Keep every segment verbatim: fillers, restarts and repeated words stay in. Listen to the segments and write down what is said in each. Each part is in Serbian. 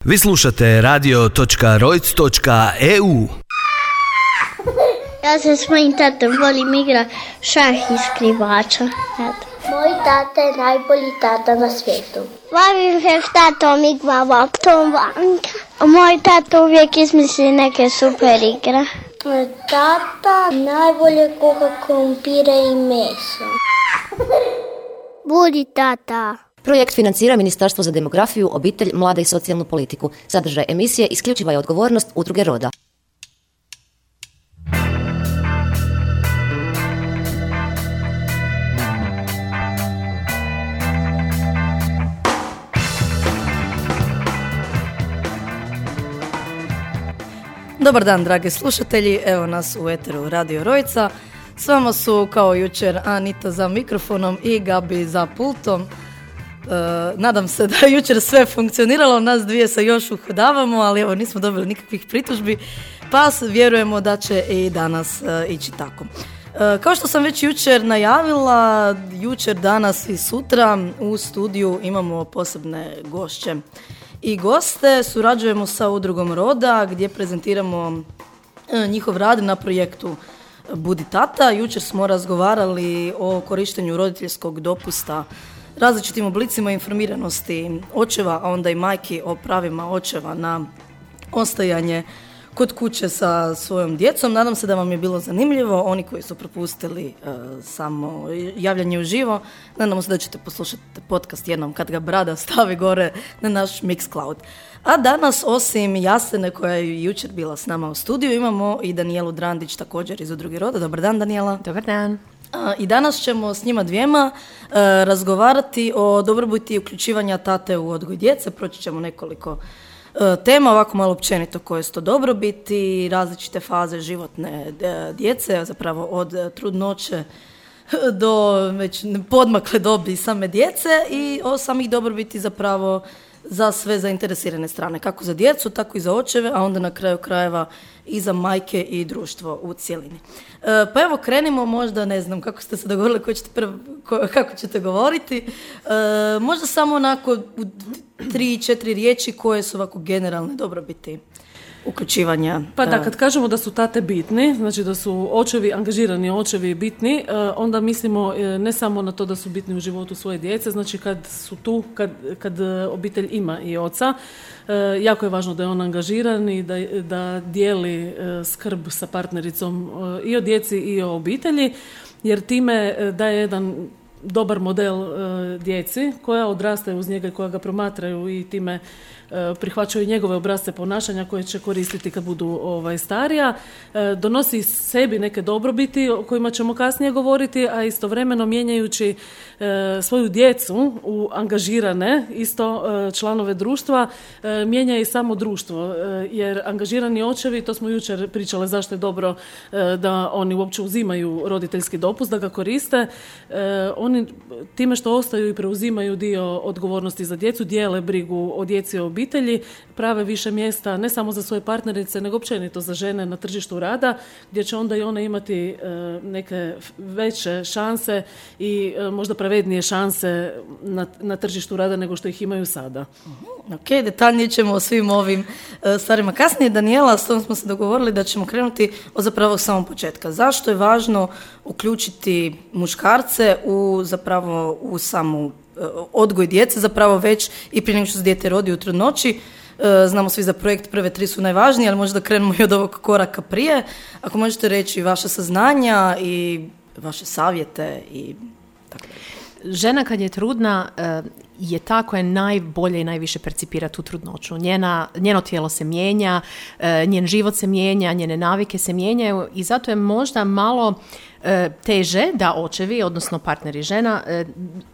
Vi slušate radio točka rojc točka e u. Ja se s mojim tatom volim igra šah i skrivača. Eto. Moj tata je najbolji tata na svijetu. Volim se s tatom igrava Tom Vanka. Moj tata uvijek izmisli neke super igre. Tata najbolje kuha krumpire i meso. Budi tata. Projekt financira Ministarstvo za demografiju, obitelj, mlade i socijalnu politiku. Sadržaj emisije isključiva je odgovornost Udruge Roda. Dobar dan, dragi slušatelji, evo nas u eteru Radio Rojca. S vama su kao jučer Anita za mikrofonom i Gabi za pultom. Uh, nadam se da je jučer sve funkcioniralo, nas dvije se još uhodavamo, ali evo nismo dobili nikakvih pritužbi, pa vjerujemo da će i danas uh, ići tako. Uh, kao što sam već jučer najavila, jučer, danas i sutra u studiju imamo posebne gošće i goste. Surađujemo sa Udrugom Roda gdje prezentiramo uh, njihov rad na projektu Budi tata. Jučer smo razgovarali o korištenju roditeljskog dopusta, različitim oblicima informiranosti očeva, a onda i majki o pravima očeva na ostajanje kod kuće sa svojom djecom. Nadam se da vam je bilo zanimljivo. Oni koji su propustili uh, samo javljanje uživo, nadam se da ćete poslušati podcast jednom kad ga Brada stavi gore na naš Mixcloud. A danas, osim Jasene koja je jučer bila s nama u studiju, imamo i Danijelu Drandić, također iz Udruge Roda. Dobar dan, Danijela. Dobar dan. I danas ćemo s njima dvijema uh, razgovarati o dobrobiti uključivanja tate u odgoj djece. Proći ćemo nekoliko uh, tema, ovako malo općenito koje su to dobrobiti, različite faze životne djece, zapravo od trudnoće do već podmakle dobi same djece i o samih dobrobiti zapravo za sve zainteresirane strane, kako za djecu, tako i za očeve, a onda na kraju krajeva i za majke i društvo u cjelini. E, pa evo, krenimo, možda, ne znam kako ste se dogovorili, ko ćete prv, ko, kako ćete govoriti. E, možda samo onako u tri, četiri riječi koje su ovako generalne dobrobiti uključivanja. Pa da, kad kažemo da su tate bitni, znači da su očevi, angažirani očevi bitni, onda mislimo ne samo na to da su bitni u životu svoje djece, znači kad su tu, kad, kad obitelj ima i oca, jako je važno da je on angažiran i da, da dijeli skrb sa partnericom i o djeci i o obitelji, jer time daje jedan dobar model djeci koja odrastaju uz njega i koja ga promatraju i time prihvaćaju njegove obrasce ponašanja koje će koristiti kad budu ovaj, starija. Donosi sebi neke dobrobiti o kojima ćemo kasnije govoriti, a istovremeno mijenjajući e, svoju djecu u angažirane isto e, članove društva, e, mijenja i samo društvo. E, jer angažirani očevi, to smo jučer pričale zašto je dobro e, da oni uopće uzimaju roditeljski dopust, da ga koriste. E, oni time što ostaju i preuzimaju dio odgovornosti za djecu, dijele brigu o djeci i obitelji, prave više mjesta ne samo za svoje partnerice, nego općenito za žene na tržištu rada, gdje će onda i one imati e, neke veće šanse i e, možda pravednije šanse na, na tržištu rada nego što ih imaju sada. Uh-huh. Ok, detaljnije ćemo o svim ovim e, stvarima kasnije. Danijela, s tom smo se dogovorili da ćemo krenuti od zapravo samog početka. Zašto je važno uključiti muškarce u zapravo u samu odgoj djece, zapravo već i prije nego što se dijete rodi u trudnoći? Znamo svi za projekt prve tri su najvažnije, ali možda krenemo i od ovog koraka prije. Ako možete reći vaše saznanja i vaše savjete i tako dalje. Žena kad je trudna je ta koja najbolje i najviše percipira tu trudnoću. Njena, njeno tijelo se mijenja, njen život se mijenja, njene navike se mijenjaju i zato je možda malo teže da očevi, odnosno partneri žena,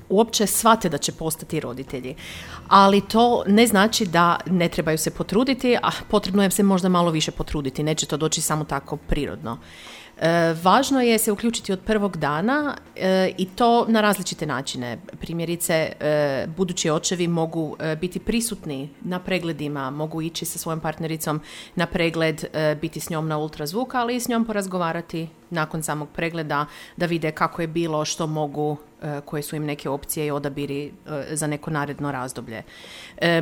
uopće shvate da će postati roditelji. Ali to ne znači da ne trebaju se potruditi, a potrebno je se možda malo više potruditi. Neće to doći samo tako prirodno. E, važno je se uključiti od prvog dana e, i to na različite načine. Primjerice, e, budući očevi mogu e, biti prisutni na pregledima, mogu ići sa svojom partnericom na pregled, e, biti s njom na ultrazvuk, ali i s njom porazgovarati nakon samog pregleda da vide kako je bilo, što mogu koje su im neke opcije i odabiri za neko naredno razdoblje.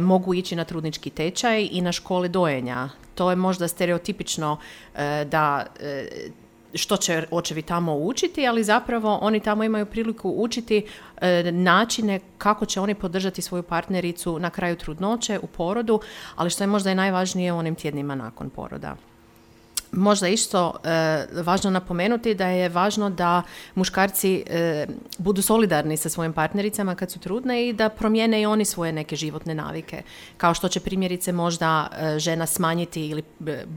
Mogu ići na trudnički tečaj i na škole dojenja. To je možda stereotipično da što će očevi tamo učiti, ali zapravo oni tamo imaju priliku učiti e, načine kako će oni podržati svoju partnericu na kraju trudnoće, u porodu, ali što je možda i najvažnije u onim tjednima nakon poroda. Možda isto e, važno napomenuti da je važno da muškarci e, budu solidarni sa svojim partnericama kad su trudne i da promijene i oni svoje neke životne navike. Kao što će primjerice možda e, žena smanjiti ili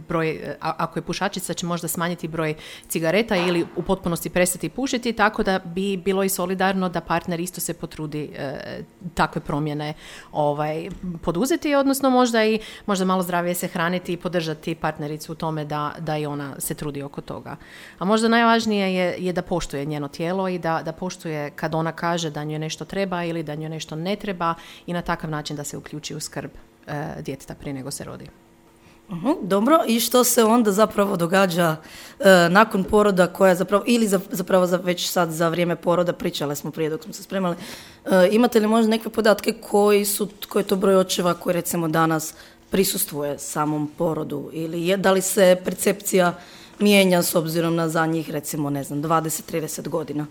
broj, a, ako je pušačica će možda smanjiti broj cigareta ili u potpunosti prestati pušiti, tako da bi bilo i solidarno da partner isto se potrudi e, takve promjene ovaj, poduzeti, odnosno možda i možda malo zdravije se hraniti i podržati partnericu u tome da da i ona se trudi oko toga. A možda najvažnije je, je da poštuje njeno tijelo i da, da poštuje kad ona kaže da njoj nešto treba ili da njoj nešto ne treba i na takav način da se uključi u skrb e, djeteta prije nego se rodi. Uh-huh, dobro, i što se onda zapravo događa e, nakon poroda koja zapravo, ili za, zapravo za, već sad za vrijeme poroda, pričale smo prije dok smo se spremali, e, imate li možda neke podatke koji su, koji je to broj očeva koji recimo danas prisustvuje samom porodu ili je, da li se percepcija mijenja s obzirom na zadnjih recimo ne znam dvadeset do trideset godina?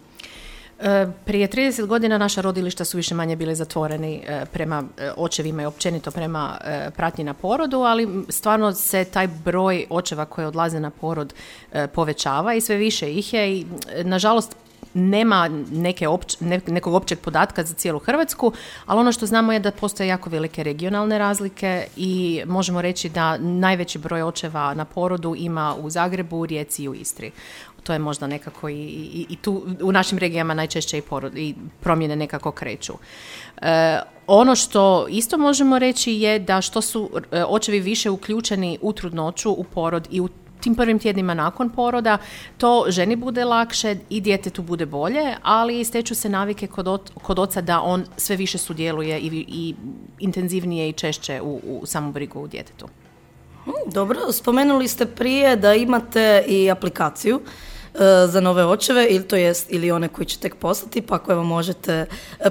E, prije trideset godina naša rodilišta su više manje bile zatvoreni e, prema e, očevima i općenito prema e, pratnji na porodu, ali stvarno se taj broj očeva koji odlaze na porod e, povećava i sve više ih je i nažalost nema neke opć, ne, nekog općeg podatka za cijelu Hrvatsku, ali ono što znamo je da postoje jako velike regionalne razlike i možemo reći da najveći broj očeva na porodu ima u Zagrebu, u Rijeci i u Istri. To je možda nekako i, i, i tu u našim regijama najčešće i, porod, i promjene nekako kreću. E, ono što isto možemo reći je da što su očevi više uključeni u trudnoću, u porod i u tim prvim tjednima nakon poroda, to ženi bude lakše i djetetu bude bolje, ali steču se navike kod, ot, kod oca da on sve više sudjeluje i, i intenzivnije i češće u, u samu brigu u djetetu. Dobro, spomenuli ste prije da imate i aplikaciju za nove očeve, ili to jest ili one koji će tek postati, pa ako evo možete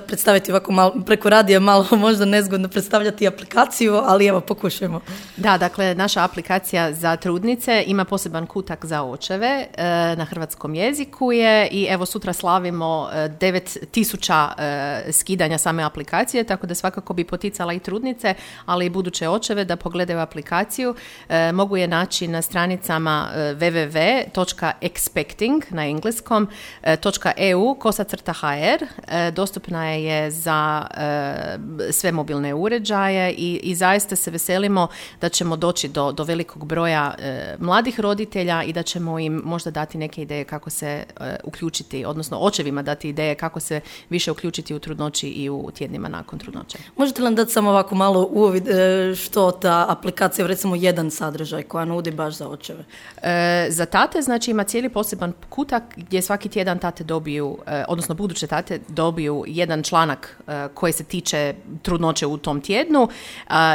predstaviti ovako malo, preko radija malo možda nezgodno predstavljati aplikaciju, ali evo pokušajmo. Da, dakle naša aplikacija za trudnice ima poseban kutak za očeve, na hrvatskom jeziku je i evo sutra slavimo devet tisuća skidanja same aplikacije, tako da svakako bi poticala i trudnice, ali i buduće očeve da pogledaju aplikaciju. Mogu je naći na stranicama w w w točka expect na engleskom, .eu, kosa crta hr. Dostupna je za e, sve mobilne uređaje i, i zaista se veselimo da ćemo doći do, do velikog broja e, mladih roditelja i da ćemo im možda dati neke ideje kako se e, uključiti, odnosno očevima dati ideje kako se više uključiti u trudnoći i u tjednima nakon trudnoće. Možete li nam dati samo ovako malo uvid e, što ta aplikacija, recimo jedan sadržaj koja nudi baš za očeve? E, za tate, znači ima cijeli poseban kutak gdje svaki tjedan tate dobiju, odnosno buduće tate dobiju jedan članak koji se tiče trudnoće u tom tjednu.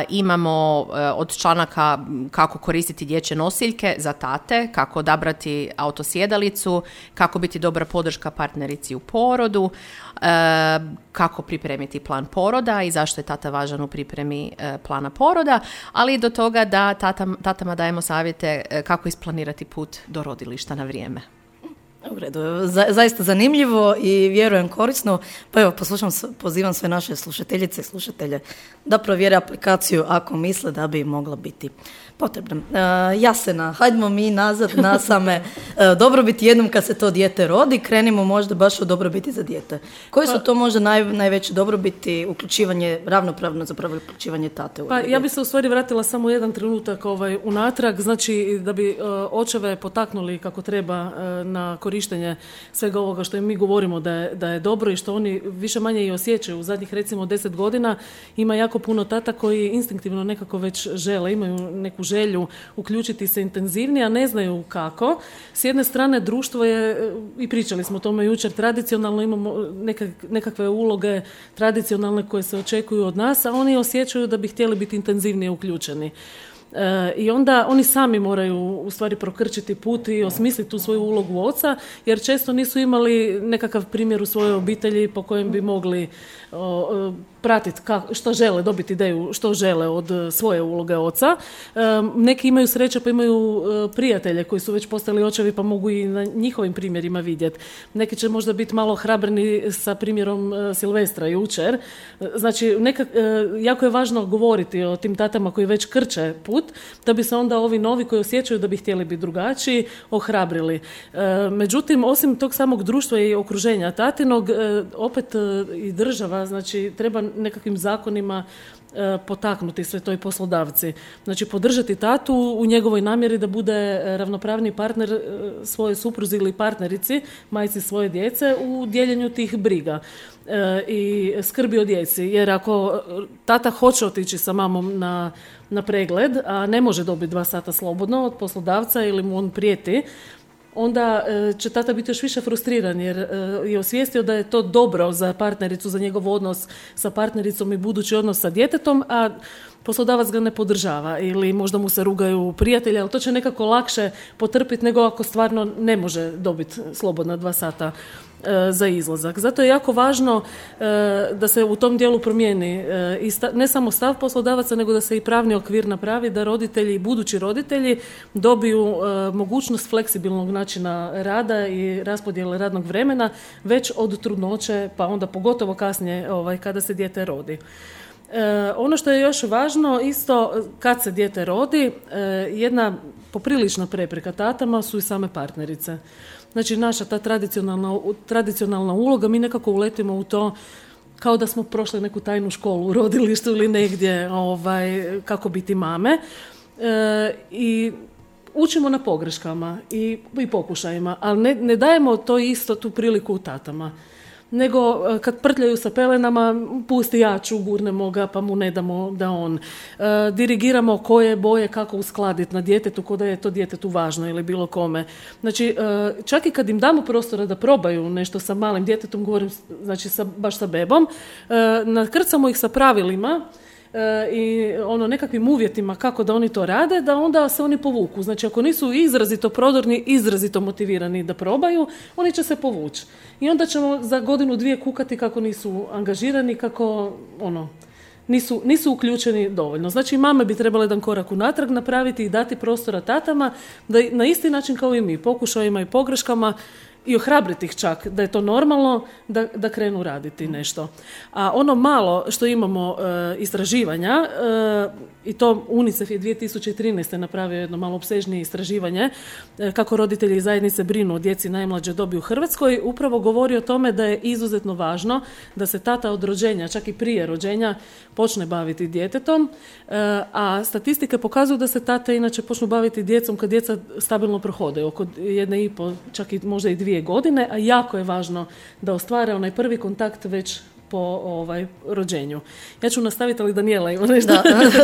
Imamo od članaka kako koristiti dječje nosiljke za tate, kako odabrati autosjedalicu, kako biti dobra podrška partnerici u porodu, kako pripremiti plan poroda i zašto je tata važan u pripremi plana poroda, ali i do toga da tata, tatama dajemo savjete kako isplanirati put do rodilišta na vrijeme. U redu, za, zaista zanimljivo i vjerujem korisno. Pa evo, poslušam, pozivam sve naše slušateljice i slušatelje da provjere aplikaciju ako misle da bi mogla biti potrebna. Uh, Jasena, hajdemo mi nazad na same uh, dobrobiti jednom kad se to dijete rodi. Krenimo možda baš o dobrobiti za dijete. Koji su to možda naj, najveće dobrobiti, uključivanje, ravnopravno zapravo uključivanje tate? U pa ja bi se u stvari vratila samo jedan trenutak ovaj, unatrag, znači da bi uh, očeve potaknuli kako treba uh, na korištenje svega ovoga što im mi govorimo da je, da je dobro i što oni više manje i osjećaju. U zadnjih recimo deset godina ima jako puno tata koji instinktivno nekako već žele, imaju neku želju uključiti se intenzivnije, a ne znaju kako. S jedne strane društvo je, i pričali smo o tome jučer, tradicionalno imamo nekak, nekakve uloge tradicionalne koje se očekuju od nas, a oni osjećaju da bi htjeli biti intenzivnije uključeni. E, I onda oni sami moraju u stvari prokrčiti put i osmisliti tu svoju ulogu oca, jer često nisu imali nekakav primjer u svojoj obitelji po kojem bi mogli o, pratiti kako, što žele, dobiti ideju što žele od svoje uloge oca. E, neki imaju sreće pa imaju e, prijatelje koji su već postali očevi pa mogu i na njihovim primjerima vidjeti. Neki će možda biti malo hrabrni sa primjerom e, Silvestra jučer. Znači, neka, e, jako je važno govoriti o tim tatama koji već krče put, da bi se onda ovi novi koji osjećaju da bi htjeli biti drugačiji ohrabrili. E, međutim, osim tog samog društva i okruženja tatinog, e, opet e, i država, znači, treba nekakvim zakonima e, potaknuti sve to i poslodavci. Znači, podržati tatu u njegovoj namjeri da bude ravnopravni partner e, svoje supruzi ili partnerici, majci svoje djece u dijeljenju tih briga e, i skrbi o djeci. Jer ako tata hoće otići sa mamom na, na pregled, a ne može dobiti dva sata slobodno od poslodavca ili mu on prijeti, onda će tata biti još više frustriran jer je osvijestio da je to dobro za partnericu, za njegov odnos sa partnericom i budući odnos sa djetetom, a poslodavac ga ne podržava ili možda mu se rugaju prijatelji, ali to će nekako lakše potrpiti nego ako stvarno ne može dobiti slobodna dva sata e, za izlazak. Zato je jako važno e, da se u tom dijelu promijeni e, i sta, ne samo stav poslodavaca, nego da se i pravni okvir napravi, da roditelji i budući roditelji dobiju e, mogućnost fleksibilnog načina rada i raspodjele radnog vremena već od trudnoće, pa onda pogotovo kasnije ovaj, kada se dijete rodi. E, ono što je još važno, isto kad se dijete rodi, e, jedna poprilična prepreka tatama su i same partnerice. Znači, naša ta tradicionalna, tradicionalna uloga, mi nekako uletimo u to kao da smo prošli neku tajnu školu u rodilištu ili negdje ovaj, kako biti mame. E, I učimo na pogreškama i, i pokušajima, ali ne, ne dajemo to isto tu priliku u tatama. Nego kad prtljaju sa pelenama, pusti ja ću, gurnemo ga pa mu ne damo da on. E, dirigiramo koje boje kako uskladiti na djetetu, ko da je to djetetu važno ili bilo kome. Znači, e, čak i kad im damo prostora da probaju nešto sa malim djetetom, govorim znači sa, baš sa bebom, e, nakrcamo ih sa pravilima i ono nekakvim uvjetima kako da oni to rade, da onda se oni povuku. Znači, ako nisu izrazito prodorni, izrazito motivirani da probaju, oni će se povući. I onda ćemo za godinu dvije kukati kako nisu angažirani, kako ono nisu, nisu uključeni dovoljno. Znači, mame bi trebale jedan korak unatrag napraviti i dati prostora tatama da na isti način kao i mi, pokušajima i pogreškama, i ohrabriti ih čak da je to normalno da, da krenu raditi nešto. A ono malo što imamo e, istraživanja, e, i to UNICEF je dvije tisuće trinaeste napravio jedno malo opsežnije istraživanje e, kako roditelji i zajednice brinu o djeci najmlađe dobi u Hrvatskoj, upravo govori o tome da je izuzetno važno da se tata od rođenja, čak i prije rođenja, počne baviti djetetom, e, a statistike pokazuju da se tate inače počnu baviti djecom kad djeca stabilno prohode, oko jedne i po, čak i možda i dvije godine, a jako je važno da ostvare onaj prvi kontakt već po ovaj, rođenju. Ja ću nastaviti, ali Danijela ima nešto. Da,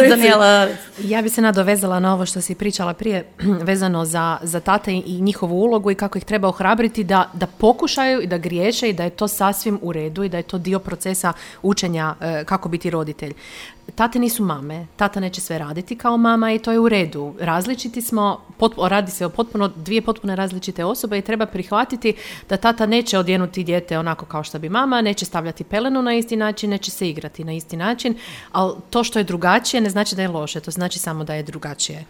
Danijela, ja bi se nadovezala na ovo što si pričala prije vezano za, za tate i njihovu ulogu i kako ih treba ohrabriti da, da pokušaju i da griješe i da je to sasvim u redu i da je to dio procesa učenja e, kako biti roditelj. Tate nisu mame, tata neće sve raditi kao mama i to je u redu. Različiti smo, pot, radi se o potpuno dvije potpuno različite osobe i treba prihvatiti da tata neće odjenuti dijete onako kao što bi mama, neće stavljati pelenu na isti način, neće se igrati na isti način, ali to što je drugačije ne znači da je loše, to znači samo da je drugačije.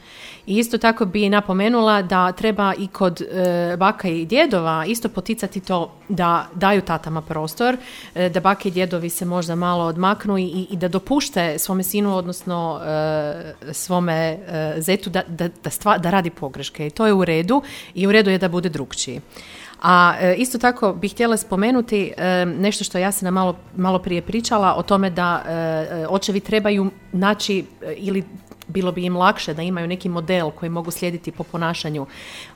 I isto tako bi napomenula da treba i kod e, baka i djedova isto poticati to da daju tatama prostor, e, da bake i djedovi se možda malo odmaknu i, i da dopušte svome sinu, odnosno e, svome e, zetu da, da, da, stva, da radi pogreške. I to je u redu i u redu je da bude drukčiji. A e, isto tako bih htjela spomenuti e, nešto što ja sam malo, malo prije pričala o tome da e, očevi trebaju naći e, ili bilo bi im lakše da imaju neki model koji mogu slijediti po ponašanju.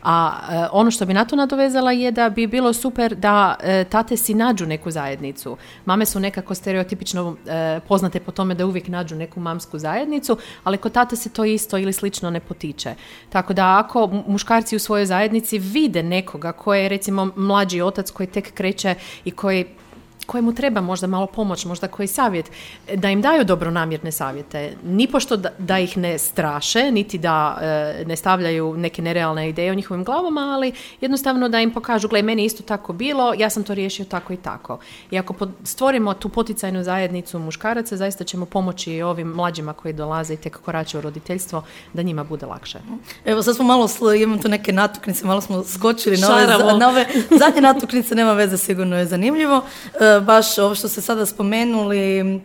A e, ono što bi na to nadovezala je da bi bilo super da e, tate si nađu neku zajednicu. Mame su nekako stereotipično e, poznate po tome da uvijek nađu neku mamsku zajednicu, ali kod tate se to isto ili slično ne potiče. Tako da ako muškarci u svojoj zajednici vide nekoga koji je recimo mlađi otac koji tek kreće i koji kojemu treba možda malo pomoć, možda koji savjet, da im daju dobronamjerne savjete. Nipošto da, da ih ne straše, niti da e, ne stavljaju neke nerealne ideje u njihovim glavama, ali jednostavno da im pokažu, gle, meni isto tako bilo, ja sam to riješio tako i tako. I ako pod, stvorimo tu poticajnu zajednicu muškaraca, zaista ćemo pomoći i ovim mlađima koji dolaze i tek korače u roditeljstvo, da njima bude lakše. Evo, sad smo malo, imamo tu neke natuknice, malo smo skočili na ove, na ove zadnje natuknice, nema veze, sigurno je zanimljivo. E, baš ovo što ste sada spomenuli, e,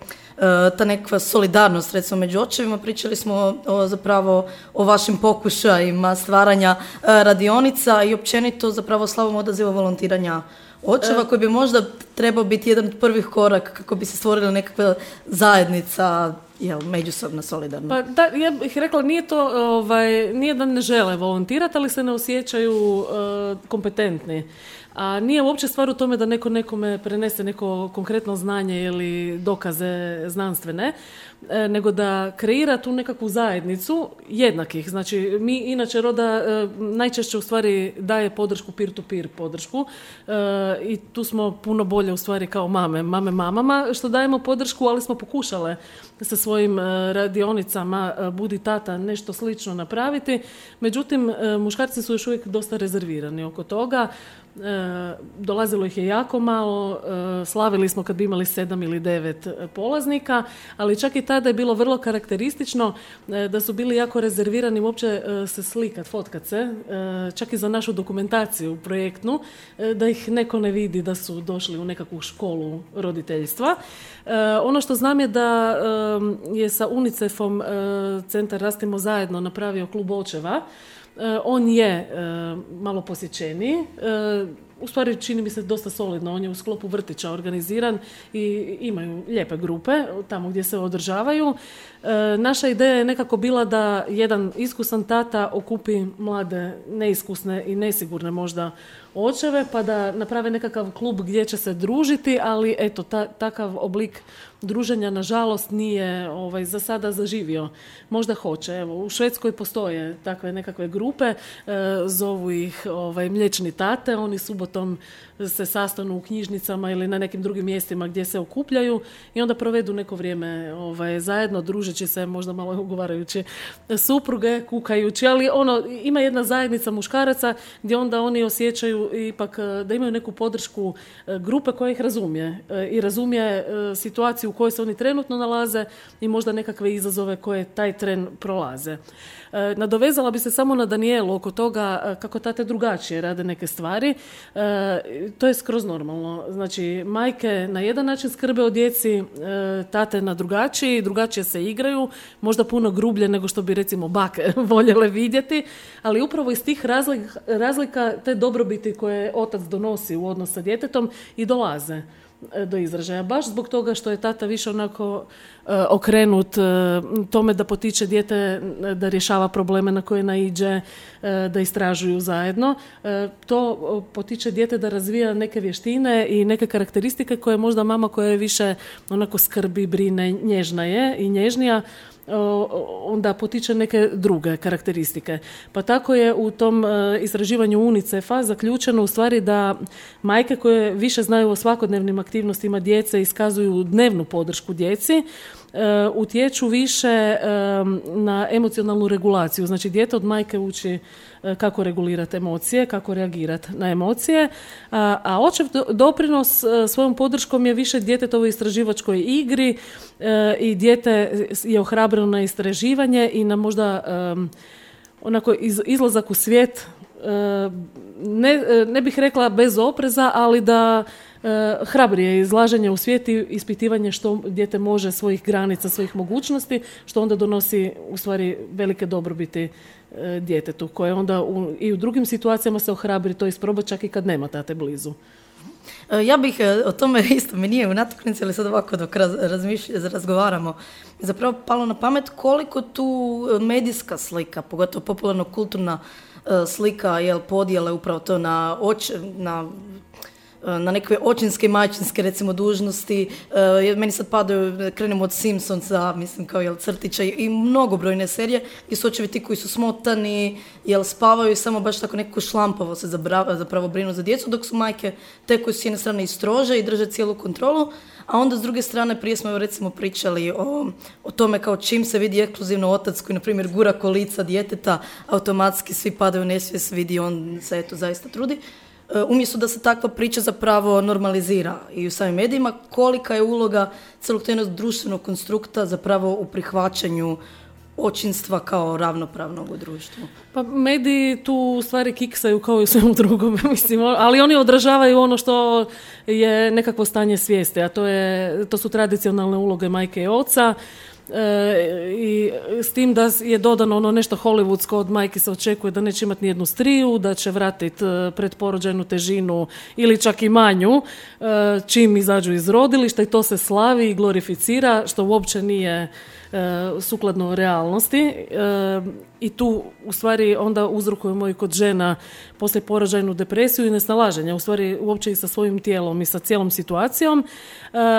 ta nekakva solidarnost, recimo, među očevima, pričali smo o, o, zapravo o vašim pokušajima stvaranja e, radionica i općenito zapravo slavom odaziva volontiranja očeva, koji bi možda trebao biti jedan od prvih korak kako bi se stvorila nekakva zajednica, jel, međusobno solidarno. Pa da, ja bih rekla, nije to, ovaj, nije da ne žele volontirati, ali se ne osjećaju uh, kompetentni. A nije uopće stvar u tome da neko nekome prenese neko konkretno znanje ili dokaze znanstvene, e, nego da kreira tu nekakvu zajednicu jednakih. Znači, mi inače Roda e, najčešće u stvari daje podršku, peer-to-peer podršku e, i tu smo puno bolje u stvari kao mame, mame mamama, što dajemo podršku, ali smo pokušale sa svojim e, radionicama e, Budi tata nešto slično napraviti. Međutim, e, muškarci su još uvijek dosta rezervirani oko toga. E, dolazilo ih je jako malo, e, slavili smo kad bi imali sedam ili devet polaznika, ali čak i tada je bilo vrlo karakteristično e, da su bili jako rezervirani uopće e, se slikat, fotkat se, e, čak i za našu dokumentaciju projektnu, e, da ih neko ne vidi da su došli u nekakvu školu roditeljstva. E, ono što znam je da e, je sa UNICEF-om e, Centar Rastimo zajedno napravio klub očeva. On je malo posjećeniji, u stvari čini mi se dosta solidno, on je u sklopu vrtića organiziran i imaju lijepe grupe tamo gdje se održavaju. Naša ideja je nekako bila da jedan iskusan tata okupi mlade, neiskusne i nesigurne možda očeve, pa da naprave nekakav klub gdje će se družiti, ali eto, ta, takav oblik druženja nažalost nije ovaj, za sada zaživio. Možda hoće. Evo, u Švedskoj postoje takve nekakve grupe, e, zovu ih ovaj, mliječni tate, oni subotom se sastanu u knjižnicama ili na nekim drugim mjestima gdje se okupljaju i onda provedu neko vrijeme ovaj, zajedno, družeći se, možda malo ugovarajući supruge, kukajući, ali ono, ima jedna zajednica muškaraca gdje onda oni osjećaju ipak da imaju neku podršku grupe koja ih razumije i razumije situaciju u kojoj se oni trenutno nalaze i možda nekakve izazove koje taj tren prolaze. Nadovezala bi se samo na Danijelu oko toga kako tate drugačije rade neke stvari. To je skroz normalno. Znači, majke na jedan način skrbe o djeci, tate na drugačiji, drugačije se igraju, možda puno grublje nego što bi recimo bake voljele vidjeti, ali upravo iz tih razlika, razlika te dobrobiti koje otac donosi u odnos sa djetetom i dolaze do izražaja. Baš zbog toga što je tata više onako e, okrenut e, tome da potiče dijete da rješava probleme na koje naiđe, e, da istražuju zajedno. E, to potiče dijete da razvija neke vještine i neke karakteristike koje možda mama koja je više onako skrbi, brine, nježna je i nježnija, onda potiče neke druge karakteristike. Pa tako je u tom istraživanju UNICEF-a zaključeno u stvari da majke koje više znaju o svakodnevnim aktivnostima djece iskazuju dnevnu podršku djeci, utječu više na emocionalnu regulaciju. Znači, dijete od majke uči kako regulirati emocije, kako reagirati na emocije, a, a očev doprinos svojom podrškom je više djetetovoj istraživačkoj igri e, i dijete je ohrabreno na istraživanje i na možda um, onako iz, izlazak u svijet, e, ne, ne bih rekla bez opreza, ali da e, hrabrije izlaženje u svijet i ispitivanje što dijete može, svojih granica, svojih mogućnosti, što onda donosi u stvari velike dobrobiti djetetu, koje onda u, i u drugim situacijama se ohrabri to isprobati čak i kad nema tate blizu. Ja bih o tome isto, mi nije u natuknici, ali sad ovako dok raz, razgovaramo, zapravo palo na pamet koliko tu medijska slika, pogotovo popularno kulturna slika, jel, podijele upravo to na, oč, na na nekakve očinske i majčinske recimo dužnosti. E, meni sad padaju, krenemo od Simpsonsa, mislim kao jel crtića i mnogobrojne serije gdje su očevi ti koji su smotani, jel spavaju i samo baš tako nekako šlampavo se zapravo, zapravo brinu za djecu, dok su majke te koje su s jedne strane i strože i drže cijelu kontrolu, a onda s druge strane prije smo recimo pričali o, o tome kao čim se vidi ekskluzivno otac koji na primjer gura kolica djeteta, automatski svi padaju u nesvijest, vidi on se eto zaista trudi. Umjesto da se takva priča zapravo normalizira i u samim medijima, kolika je uloga celog tog društvenog konstrukta zapravo u prihvaćanju očinstva kao ravnopravnog u društvu. Pa mediji tu u stvari kiksaju kao i u svemu drugom, mislim, ali oni odražavaju ono što je nekakvo stanje svijesti, a to, je, to su tradicionalne uloge majke i oca. E, i s tim da je dodano ono nešto hollywoodsko, od majke se očekuje da neće imati nijednu striju, da će vratiti pretporođajnu težinu ili čak i manju e, čim izađu iz rodilišta i to se slavi i glorificira, što uopće nije e, sukladno realnosti e, i tu u stvari onda uzrokujemo i kod žena poslije porođajnu depresiju i nesnalaženje, u stvari uopće i sa svojim tijelom i sa cijelom situacijom, e,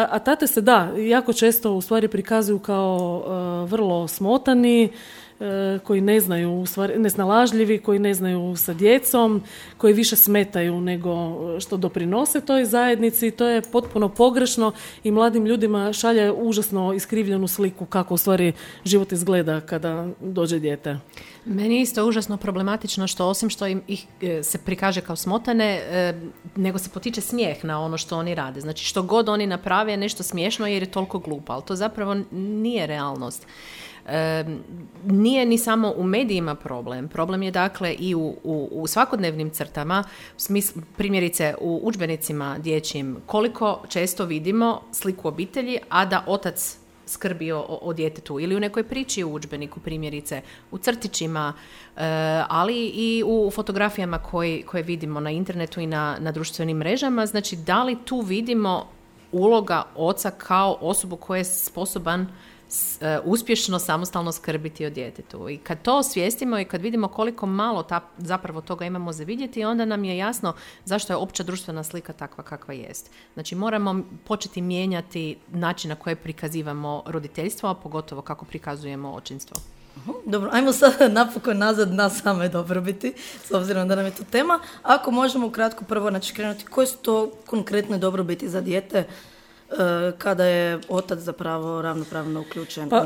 a tate se da, jako često u stvari prikazuju kao e, vrlo smotani, e, koji ne znaju, u stvari, nesnalažljivi, koji ne znaju sa djecom, koji više smetaju nego što doprinose toj zajednici. To je potpuno pogrešno i mladim ljudima šalje užasno iskrivljenu sliku kako u stvari život izgleda kada dođe dijete. Meni je isto užasno problematično što osim što im ih se prikaže kao smotane, e, nego se potiče smijeh na ono što oni rade. Znači što god oni naprave je nešto smiješno jer je toliko glupo, ali to zapravo nije realnost. E, nije ni samo u medijima problem. Problem je dakle i u, u, u svakodnevnim crtama, smisl, primjerice u udžbenicima dječjim, koliko često vidimo sliku obitelji, a da otac skrbi o, o djetetu ili u nekoj priči u udžbeniku, primjerice u crtićima, e, ali i u fotografijama koji, koje vidimo na internetu i na, na društvenim mrežama. Znači, da li tu vidimo uloga oca kao osobu koja je sposoban s, e, uspješno samostalno skrbiti o djetetu. I kad to osvijestimo i kad vidimo koliko malo ta, zapravo toga imamo za vidjeti, onda nam je jasno zašto je opća društvena slika takva kakva jest. Znači moramo početi mijenjati način na koji prikazivamo roditeljstvo, a pogotovo kako prikazujemo očinstvo. Dobro, ajmo sad napokon nazad na same dobrobiti, s obzirom da nam je to tema. Ako možemo ukratko prvo znači, krenuti, koje su to konkretne dobrobiti za dijete kada je otac zapravo ravnopravno uključen? Pa,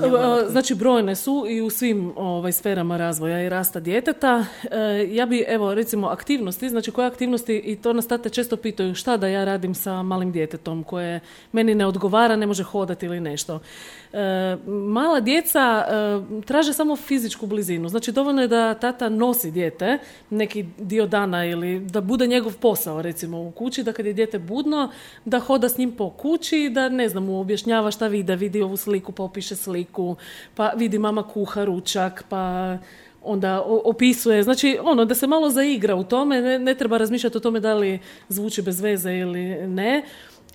znači brojne su i u svim ovaj, sferama razvoja i rasta djeteta. E, ja bi, evo, recimo aktivnosti, znači koje aktivnosti, i to nas tate često pitaju šta da ja radim sa malim djetetom koje meni ne odgovara, ne može hodati ili nešto. E, mala djeca e, traže samo fizičku blizinu, znači dovoljno je da tata nosi dijete neki dio dana ili da bude njegov posao recimo u kući, da kad je dijete budno, da hoda s njim po kući, da ne znam, mu objašnjava šta vidi, da vidi ovu sliku, pa opiše sliku, pa vidi mama kuha ručak, pa onda opisuje, znači ono da se malo zaigra u tome, ne, ne treba razmišljati o tome da li zvuči bez veze ili ne,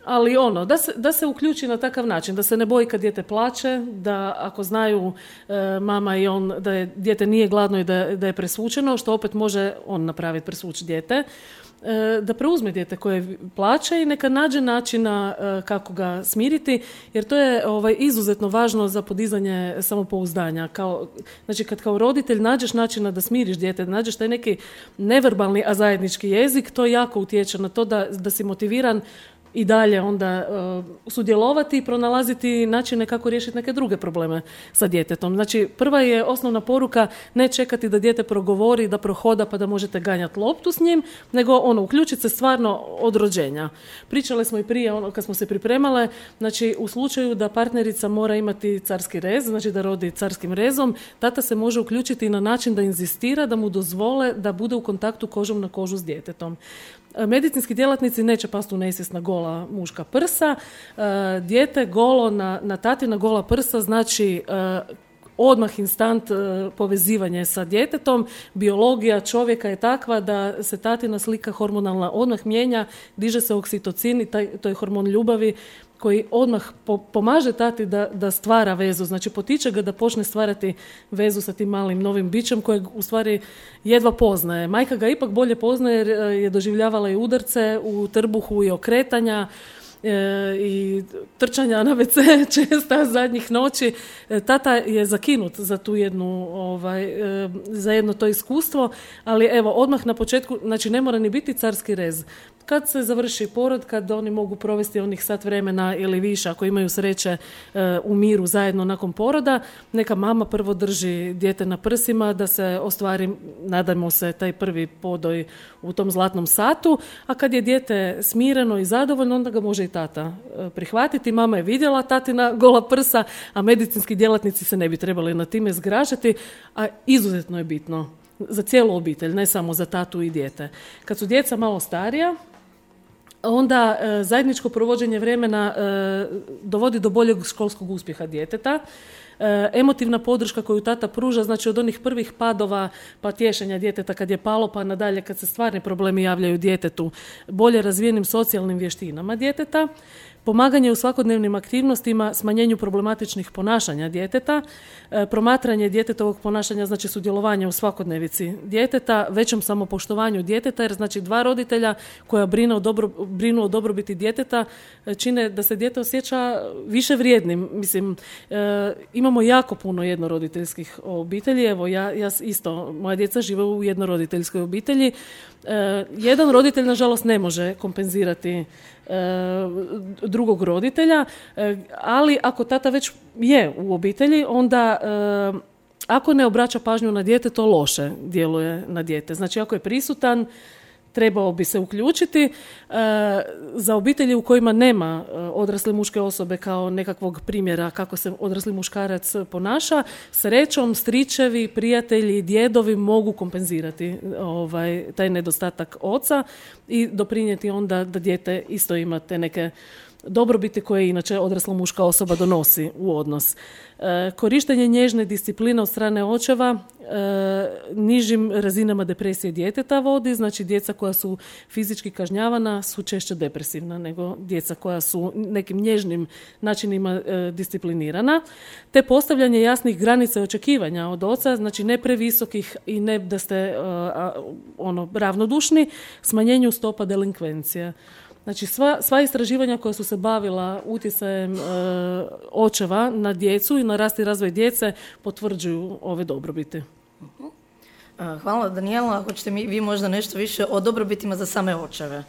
ali ono, da se, da se uključi na takav način, da se ne boji kad dijete plače, da ako znaju e, mama i on da je dijete nije gladno i da, da je presvučeno, što opet može on napraviti, presvući dijete, da preuzme dijete koje plaće i neka nađe načina kako ga smiriti, jer to je ovaj, izuzetno važno za podizanje samopouzdanja. Kao, znači kad kao roditelj nađeš načina da smiriš dijete, da nađeš taj neki neverbalni, a zajednički jezik, to jako utječe na to da, da si motiviran i dalje onda uh, sudjelovati i pronalaziti načine kako riješiti neke druge probleme sa djetetom. Znači, prva je osnovna poruka ne čekati da dijete progovori, da prohoda pa da možete ganjati loptu s njim, nego ono, uključiti se stvarno od rođenja. Pričale smo i prije, ono, kad smo se pripremale, znači u slučaju da partnerica mora imati carski rez, znači da rodi carskim rezom, tata se može uključiti na način da inzistira, da mu dozvole da bude u kontaktu kožom na kožu s djetetom. Medicinski djelatnici neće pasti u nesvijest na gola muška prsa. E, dijete golo na, na tatina gola prsa znači e, odmah instant e, povezivanje sa djetetom. Biologija čovjeka je takva da se tatina slika hormonalna odmah mijenja, diže se oksitocin i taj, to je hormon ljubavi koji odmah po, pomaže tati da, da stvara vezu, znači potiče ga da počne stvarati vezu sa tim malim novim bićem kojeg u stvari jedva poznaje. Majka ga ipak bolje poznaje jer je doživljavala i udarce u trbuhu i okretanja, E, i trčanja na ve ce česta zadnjih noći. E, tata je zakinut za tu jednu, ovaj, e, za jedno to iskustvo, ali evo, odmah na početku, znači ne mora ni biti carski rez. Kad se završi porod, kad oni mogu provesti onih sat vremena ili više, ako imaju sreće e, u miru zajedno nakon poroda, neka mama prvo drži dijete na prsima da se ostvari, nadajmo se, taj prvi podoj u tom zlatnom satu, a kad je dijete smireno i zadovoljno, onda ga može i tata e, prihvatiti. Mama je vidjela tatina gola prsa, a medicinski djelatnici se ne bi trebali na time zgražati, a izuzetno je bitno za cijelu obitelj, ne samo za tatu i dijete. Kad su djeca malo starija, onda e, zajedničko provođenje vremena e, dovodi do boljeg školskog uspjeha djeteta. E, emotivna podrška koju tata pruža, znači od onih prvih padova pa tješenja djeteta kad je palo pa nadalje kad se stvarni problemi javljaju djetetu, bolje razvijenim socijalnim vještinama djeteta, pomaganje u svakodnevnim aktivnostima, smanjenju problematičnih ponašanja djeteta, e, promatranje djetetovog ponašanja, znači sudjelovanje u svakodnevici djeteta, većem samopoštovanju djeteta, jer znači dva roditelja koja brinu o, dobro, brinu o dobrobiti djeteta e, čine da se dijete osjeća više vrijednim. Mislim, e, imamo jako puno jednoroditeljskih obitelji, evo ja, ja isto, moja djeca žive u jednoroditeljskoj obitelji. E, jedan roditelj, nažalost, ne može kompenzirati drugog roditelja, ali ako tata već je u obitelji, onda ako ne obraća pažnju na dijete, to loše djeluje na dijete. Znači ako je prisutan, trebao bi se uključiti. Za obitelji u kojima nema odrasle muške osobe kao nekakvog primjera kako se odrasli muškarac ponaša, srećom stričevi, prijatelji, djedovi mogu kompenzirati ovaj, taj nedostatak oca i doprinijeti onda da dijete isto ima te neke dobrobiti koje inače odrasla muška osoba donosi u odnos. E, korištenje nježne discipline od strane očeva e, nižim razinama depresije djeteta vodi, znači djeca koja su fizički kažnjavana su češće depresivna nego djeca koja su nekim nježnim načinima e, disciplinirana, te postavljanje jasnih granica i očekivanja od oca, znači ne previsokih i ne da ste e, a, ono, ravnodušni, smanjenju stopa delinkvencije. Znači sva, sva istraživanja koja su se bavila utjecajem e, očeva na djecu i na rast i razvoj djece potvrđuju ove dobrobiti. Hvala Danijela. Hoćete mi vi možda nešto više o dobrobitima za same očeve?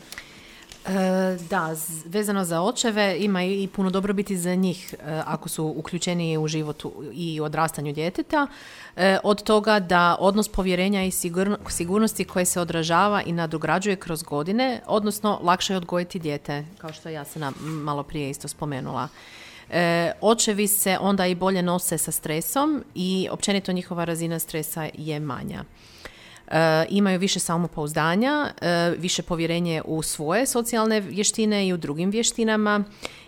E, da, vezano za očeve ima i puno dobrobiti za njih e, ako su uključeni u životu i odrastanju djeteta. E, od toga da odnos povjerenja i sigurno, sigurnosti koje se odražava i nadograđuje kroz godine, odnosno lakše je odgojiti dijete, kao što ja sam malo prije isto spomenula. E, očevi se onda i bolje nose sa stresom i općenito njihova razina stresa je manja. E, imaju više samopouzdanja, e, više povjerenje u svoje socijalne vještine i u drugim vještinama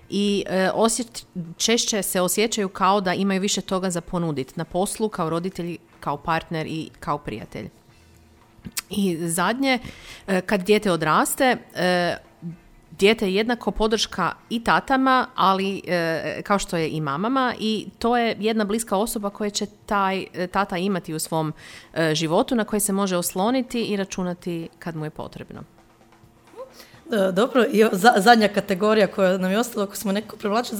i e, osjet, češće se osjećaju kao da imaju više toga za ponuditi na poslu, kao roditelj, kao partner i kao prijatelj. I zadnje, e, kad dijete odraste, e, dijete je jednako podrška i tatama, ali e, kao što je i mamama, i to je jedna bliska osoba koja će taj tata imati u svom e, životu, na koje se može osloniti i računati kad mu je potrebno. E, dobro, i za, zadnja kategorija koja nam je ostala, ako smo neko privlače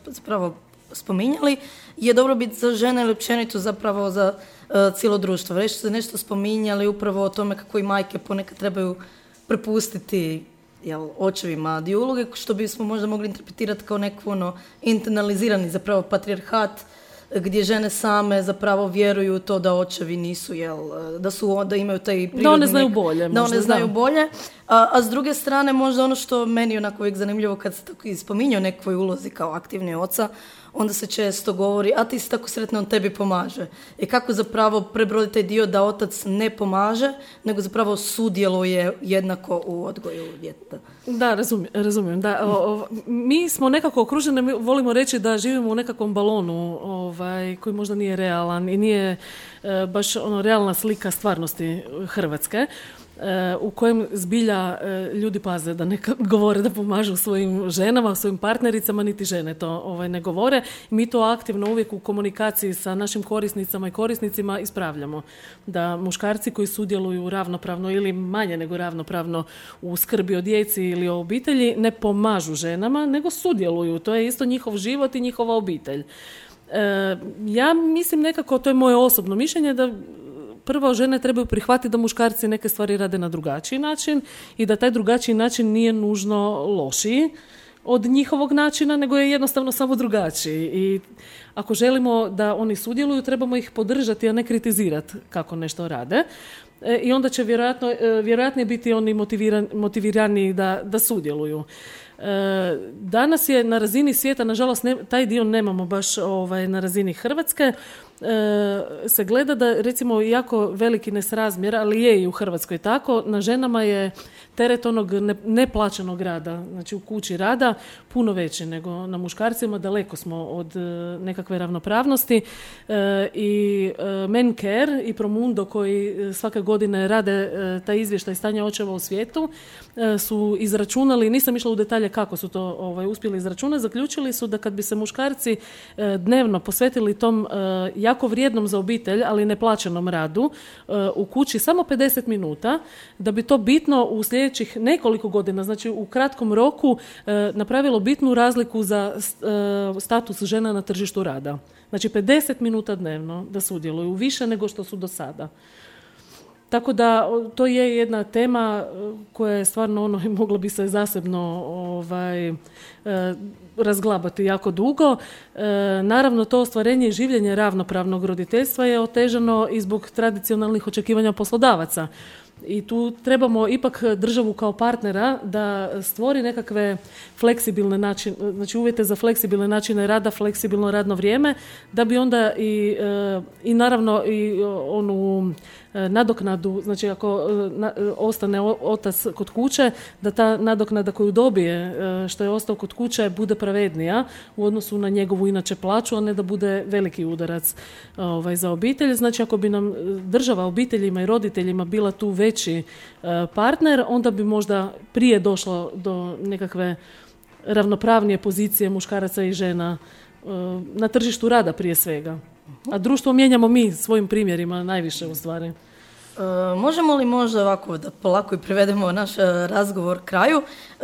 zapravo spominjali, je dobrobit za žene ili općenito zapravo za e, cijelo društvo. Već ste nešto spominjali upravo o tome kako i majke ponekad trebaju prepustiti jel, očevima dio uloge, što bismo možda mogli interpretirati kao neku ono, internalizirani zapravo patrijarhat, gdje žene same zapravo vjeruju u to da očevi nisu, jel, da su, da imaju taj prirodni... Da one znaju bolje. Da možda, one znaju da. bolje. A, a s druge strane, možda ono što meni onako uvijek zanimljivo kad se tako spominje o nekoj ulozi kao aktivni oca, onda se često govori, a ti si tako sretna, on tebi pomaže. I kako zapravo prebroditi taj dio da otac ne pomaže, nego zapravo sudjeluje jednako u odgoju djeteta. Da, razumijem. razumijem. Da, o, o, mi smo nekako okruženi, mi volimo reći da živimo u nekakvom balonu ovaj, koji možda nije realan i nije e, baš ono realna slika stvarnosti Hrvatske. u kojem zbilja ljudi paze da ne govore da pomažu svojim ženama, svojim partnericama, niti žene to ovaj, ne govore. Mi to aktivno uvijek u komunikaciji sa našim korisnicama i korisnicima ispravljamo. Da muškarci koji sudjeluju ravnopravno ili manje nego ravnopravno u skrbi o djeci ili o obitelji ne pomažu ženama, nego sudjeluju. To je isto njihov život i njihova obitelj. E, ja mislim nekako, to je moje osobno mišljenje, da prvo žene trebaju prihvatiti da muškarci neke stvari rade na drugačiji način i da taj drugačiji način nije nužno lošiji od njihovog načina, nego je jednostavno samo drugačiji. I ako želimo da oni sudjeluju, trebamo ih podržati, a ne kritizirati kako nešto rade. E, I onda će vjerojatno, vjerojatnije biti oni motiviran, motivirani da, da sudjeluju. E, danas je na razini svijeta, nažalost ne, taj dio nemamo baš ovaj, na razini Hrvatske, e, se gleda da recimo jako veliki nesrazmjer, ali je i u Hrvatskoj tako, na ženama je teret onog ne, neplaćenog rada, znači u kući rada, puno veći nego na muškarcima, daleko smo od e, nekakve ravnopravnosti e, i e, Men Care i Promundo koji svake godine rade e, taj izvještaj stanja očeva u svijetu e, su izračunali, nisam išla u detalje kako su to ovaj, uspjeli izračunati, zaključili su da kad bi se muškarci e, dnevno posvetili tom e, jako vrijednom za obitelj, ali neplaćenom radu e, u kući samo pedeset minuta, da bi to bitno u sljedećih nekoliko godina, znači u kratkom roku, e, napravilo bitnu razliku za e, status žena na tržištu rada. Znači pedeset minuta dnevno da sudjeluju, više nego što su do sada. Tako da to je jedna tema koja je stvarno ono, moglo bi se zasebno ovaj, e, razglabati jako dugo. E, naravno to ostvarenje i življenje ravnopravnog roditeljstva je otežano i zbog tradicionalnih očekivanja poslodavaca. I tu trebamo ipak državu kao partnera da stvori nekakve fleksibilne načine, znači uvjete za fleksibilne načine rada, fleksibilno radno vrijeme, da bi onda i, i naravno i onu nadoknadu, znači ako na, ostane otac kod kuće, da ta nadoknada koju dobije što je ostao kod kuće bude pravednija u odnosu na njegovu inače plaću, a ne da bude veliki udarac ovaj, za obitelj. Znači ako bi nam država obiteljima i roditeljima bila tu veći partner, onda bi možda prije došlo do nekakve ravnopravnije pozicije muškaraca i žena na tržištu rada prije svega. A društvo mijenjamo mi svojim primjerima najviše u stvari. E, možemo li možda ovako da polako i privedemo naš razgovor kraju? E,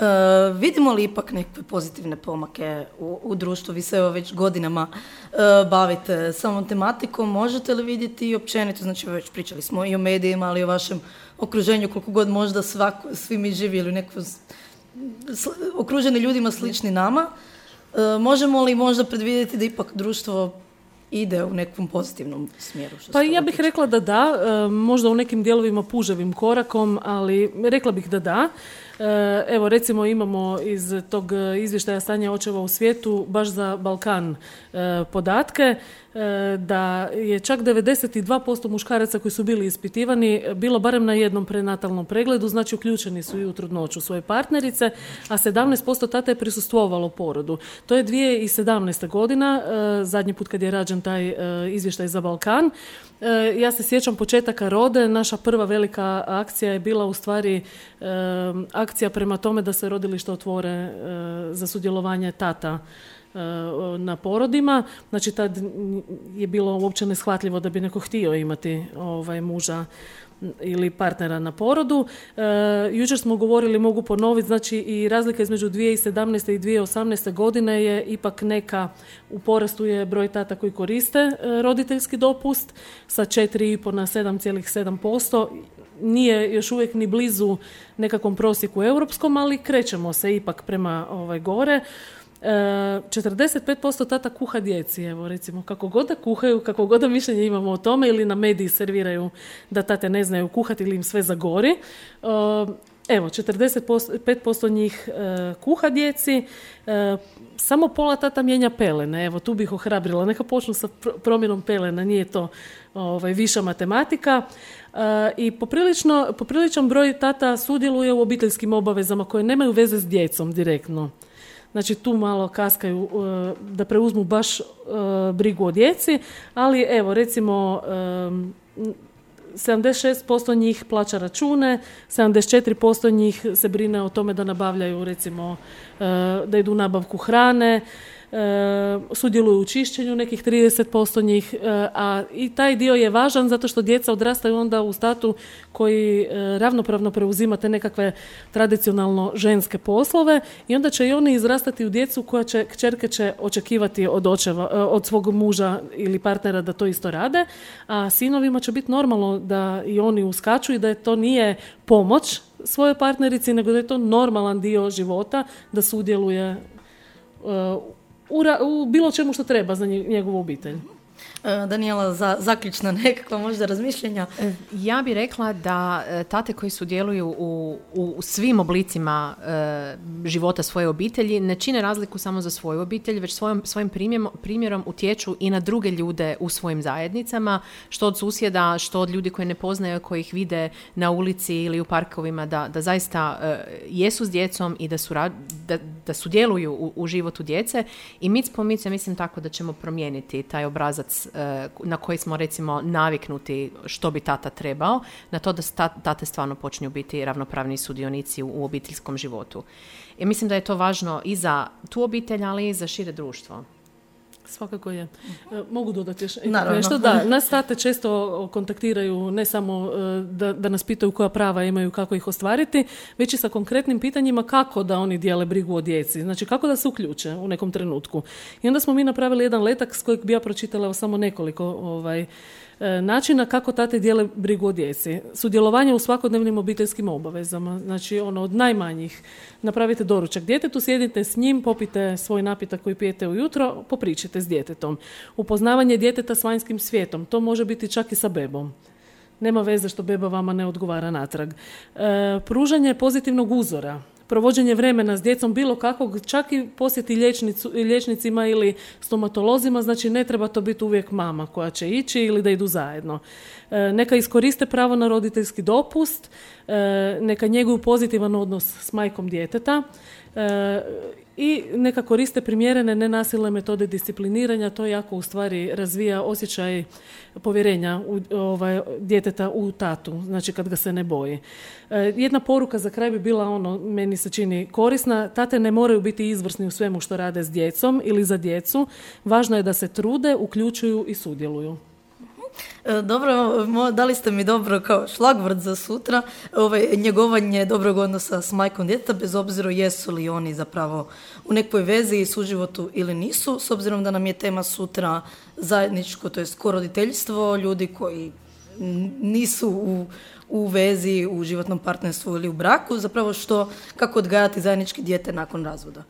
vidimo li ipak neke pozitivne pomake u, u društvu? Vi se evo već godinama e, bavite samom tematikom. Možete li vidjeti i općenito, znači već pričali smo i o medijima, ali i o vašem okruženju, koliko god možda svako, svi mi živjeli u nekom okruženi ljudima slični nama. E, možemo li možda predvidjeti da ipak društvo ide u nekom pozitivnom smjeru? Što pa ja bih tiče? rekla da da, e, možda u nekim dijelovima puževim korakom, ali rekla bih da da. E, evo recimo imamo iz tog izvještaja stanja očeva u svijetu baš za Balkan e, podatke e, da je čak devedeset dva posto muškaraca koji su bili ispitivani bilo barem na jednom prenatalnom pregledu, znači uključeni su i u trudnoću svoje partnerice, a sedamnaest posto tata je prisustvovalo porodu. To je dvije tisuće sedamnaesta godina, e, zadnji put kad je rađen taj e, izvještaj za Balkan. E, ja se sjećam početaka Rode, naša prva velika akcija je bila u stvari e, akcija prema tome da se rodilišta otvore e, za sudjelovanje tata e, na porodima. Znači tad je bilo uopće neshvatljivo da bi neko htio imati ovaj, muža ili partnera na porodu. E, jučer smo govorili, mogu ponoviti, znači i razlika između dvije tisuće sedamnaeste i dvije tisuće osamnaeste godine je ipak neka, u porastu je broj tata koji koriste e, roditeljski dopust sa četiri i pol na sedam zarez sedam posto. Nije još uvijek ni blizu nekakvom prosjeku europskom, ali krećemo se ipak prema ovaj, gore. E, četrdeset pet posto tata kuha djeci, evo recimo, kako god da kuhaju, kako god da mišljenje imamo o tome, ili na mediji serviraju da tate ne znaju kuhati ili im sve zagori. E, evo, četrdeset pet posto njih e, kuha djeci, e, samo pola tata mijenja pelene, evo tu bih ohrabrila, neka počnu sa pr- promjenom pelena, nije to ovaj, viša matematika. E, I poprilično, popriličan broj tata sudjeluje u obiteljskim obavezama koje nemaju veze s djecom direktno. Znači tu malo kaskaju da preuzmu baš brigu o djeci, ali evo recimo sedamdeset šest posto njih plaća račune, sedamdeset četiri posto njih se brine o tome da nabavljaju, recimo, da idu u nabavku hrane, sudjeluju u čišćenju nekih trideset posto njih, a i taj dio je važan zato što djeca odrastaju onda u statu koji ravnopravno preuzima te nekakve tradicionalno ženske poslove i onda će i oni izrastati u djecu koja će, kćerke će očekivati od očeva, od svog muža ili partnera da to isto rade, a sinovima će biti normalno da i oni uskaču i da je to nije pomoć svojoj partnerici, nego da je to normalan dio života, da sudjeluje U, ra- u bilo čemu što treba za njegovu obitelj. Danijela, za zaključna nekakva možda razmišljenja? Ja bih rekla da tate koji sudjeluju u, u svim oblicima e, života svoje obitelji ne čine razliku samo za svoju obitelj, već svojom, svojim primjerom, primjerom utječu i na druge ljude u svojim zajednicama, što od susjeda, što od ljudi koji ne poznaju, koji ih vide na ulici ili u parkovima, da, da zaista e, jesu s djecom i da, su, da, da sudjeluju u, u životu djece. I mic po mic, ja mislim tako da ćemo promijeniti taj obrazac na koji smo recimo naviknuti što bi tata trebao, na to da tate stvarno počinju biti ravnopravni sudionici u, u obiteljskom životu. I mislim da je to važno i za tu obitelj, ali i za šire društvo. Svakako je. Mogu dodati još Naravno. nešto? Da, nas tate često kontaktiraju ne samo da, da nas pitaju koja prava imaju, kako ih ostvariti, već i sa konkretnim pitanjima kako da oni dijele brigu o djeci. Znači kako da se uključe u nekom trenutku. I onda smo mi napravili jedan letak s kojeg bi ja pročitala samo nekoliko ovaj, načina kako tate dijele brigu o djeci. Sudjelovanje u svakodnevnim obiteljskim obavezama. Znači ono od najmanjih. Napravite doručak djetetu, sjedite s njim, popite svoj napitak koji pijete ujutro, popričite s djetetom. Upoznavanje djeteta s vanjskim svijetom. To može biti čak i sa bebom. Nema veze što beba vama ne odgovara natrag. E, pružanje pozitivnog uzora. Provođenje vremena s djecom bilo kakvog, čak i posjeti liječnicu, liječnicima ili stomatolozima, znači ne treba to biti uvijek mama koja će ići ili da idu zajedno. E, neka iskoriste pravo na roditeljski dopust, e, neka njeguju pozitivan odnos s majkom djeteta e, i neka koriste primjerene nenasilne metode discipliniranja, to jako u stvari razvija osjećaj povjerenja u, ovaj, djeteta u tatu, znači kad ga se ne boji. E, jedna poruka za kraj bi bila ono, meni se čini korisna, tate ne moraju biti izvrsni u svemu što rade s djecom ili za djecu, važno je da se trude, uključuju i sudjeluju. Dobro, dali ste mi dobro kao šlagvort za sutra, ovaj, njegovanje dobrog odnosa s majkom djeteta, bez obzira jesu li oni zapravo u nekoj vezi i suživotu ili nisu, s obzirom da nam je tema sutra zajedničko, to je koroditeljstvo, ljudi koji nisu u, u vezi, u životnom partnerstvu ili u braku, zapravo što, kako odgajati zajednički dijete nakon razvoda.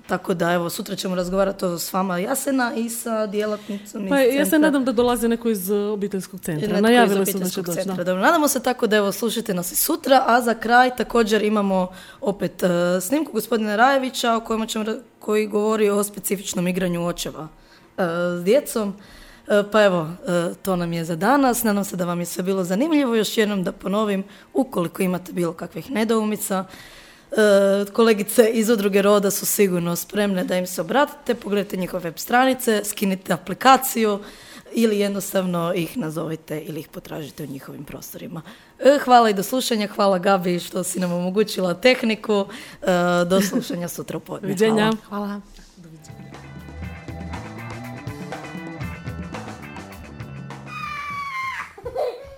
Tako da, evo, sutra ćemo razgovarati s vama Jasena i sa djelatnicom pa, iz centra. Ja se nadam da dolazi neko iz obiteljskog centra. Najavile su da će doći. Dobro, nadamo se tako da, evo, slušajte nas i sutra, a za kraj također imamo opet uh, snimku gospodina Rajevića o kojima ćemo, koji govori o specifičnom igranju očeva uh, s djecom. Uh, pa evo, uh, to nam je za danas. Nadam se da vam je sve bilo zanimljivo. Još jednom da ponovim, ukoliko imate bilo kakvih nedoumica, kolegice iz Udruge Roda su sigurno spremne da im se obratite, pogledajte njihove web stranice, skinite aplikaciju ili jednostavno ih nazovite ili ih potražite u njihovim prostorima. Hvala i do slušanja, hvala Gabi što si nam omogućila tehniku, do slušanja sutra u podne. Viđenja. Hvala. Hvala.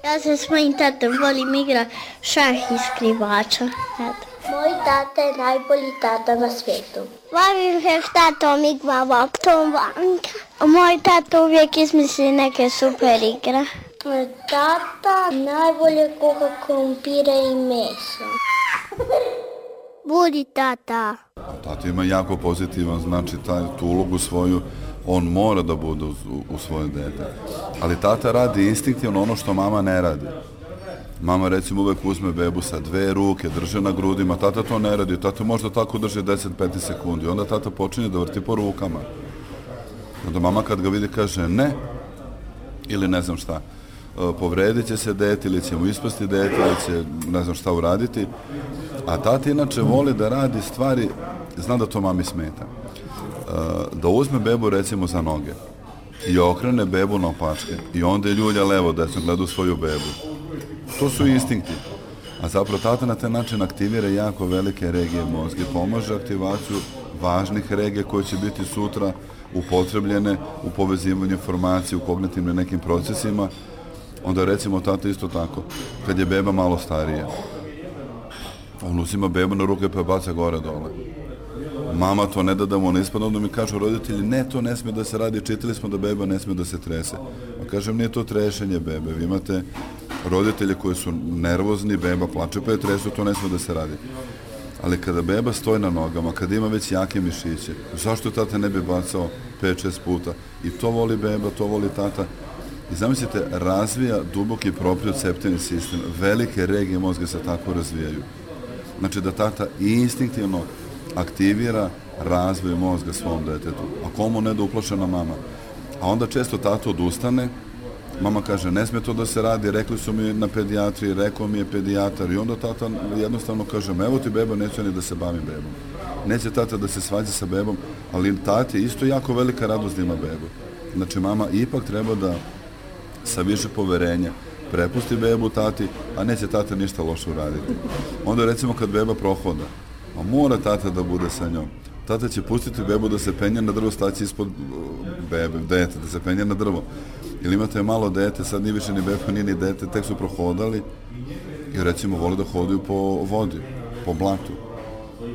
Ja se s mojim tatom volim igra šah i skrivača. Eto. Moj tata je najbolji tata na svijetu. Volim se s tatom igramo Tom Vanka. Moj tata uvijek izmisli neke super igre. Moj tata najbolje kuha krumpire i meso. Budi tata. Tata ima jako pozitivan, znači taj, tu ulogu svoju, on mora da bude u, u svoje dete. Ali tata radi instinktivno ono što mama ne radi. Mama recimo uvek uzme bebu sa dve ruke, drže na grudima, tata to ne radi, tata možda tako drži deset do petnaest sekundi, onda tata počinje da vrti po rukama. Onda mama kad ga vidi kaže ne, ili ne znam šta, povredit će se dete, ili će mu ispasti dete, ili će ne znam šta uraditi, a tata inače voli da radi stvari, zna da to mami smeta. Da uzme bebu recimo za noge i okrene bebu na opačke i onda je ljulja levo desno, gleda u svoju bebu. To su instinkti. A zapravo tata na taj način aktivira jako velike regije mozga i pomaže aktivaciju važnih regija koje će biti sutra upotrebljene u povezivanju informacije, u kognitivnim nekim procesima. Onda recimo tata isto tako, kad je beba malo starija, on uzima bebu na ruke pa je baca gore dole. Mama to ne da da mu ne ispadne, onda mi kažu roditelji, ne, to ne smije da se radi, čitali smo da beba ne smije da se trese. A kažem, nije to trešenje bebe, vi imate roditelje koji su nervozni, beba plače pa je tresu, to ne smije da se radi. Ali kada beba stoji na nogama, kada ima već jake mišiće, zašto tata ne bi bacao pet šest puta? I to voli beba, to voli tata. I zamislite, razvija duboki proprioceptivni sistem, velike regije mozga se tako razvijaju. Znači da tata instinktivno aktivira razvoj mozga svom detetu. A komu ne da uplašena mama? A onda često tata odustane, mama kaže, ne smije to da se radi, rekli su mi na pedijatriji, rekao mi je pedijatar i onda tata jednostavno kaže, evo ti beba, neću ni da se bavim bebom. Neće tata da se svađa sa bebom, ali tati isto jako velika radost da ima bebu. Znači mama ipak treba da sa više poverenja prepusti bebu tati, a neće tata ništa loše uraditi. Onda recimo kad beba prohoda, a mora tata da bude sa njom. Tata će pustiti bebu da se penje na drvo, staći ispod bebe, dete, da se penje na drvo. Ili imate malo dete, sad nije više ni beba, nije ni dete, tek su prohodali i recimo vole da hodaju po vodi, po blatu.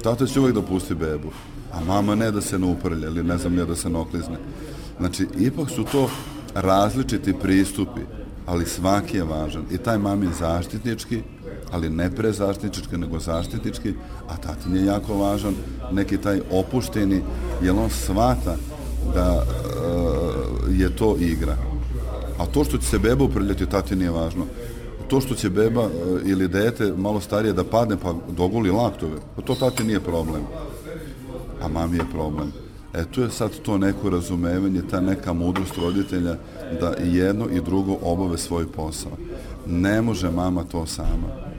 Tata će uvijek da pusti bebu, a mama ne da se ne uprlja ili ne znam ne da se ne oklizne. Znači, ipak su to različiti pristupi, ali svaki je važan. I taj mamin zaštitnički, ali ne prezaštitnički, nego zaštitnički, a tatin je jako važan, neki taj opušteni, jer on shvata da e, je to igra. A to što će se beba uprljati, tati nije važno. To što će beba e, ili dete malo starije da padne pa doguli laktove, to tati nije problem. A mami je problem. E, tu je sad to neko razumevanje, ta neka mudrost roditelja da jedno i drugo obave svoj posao. Ne može mama to sama.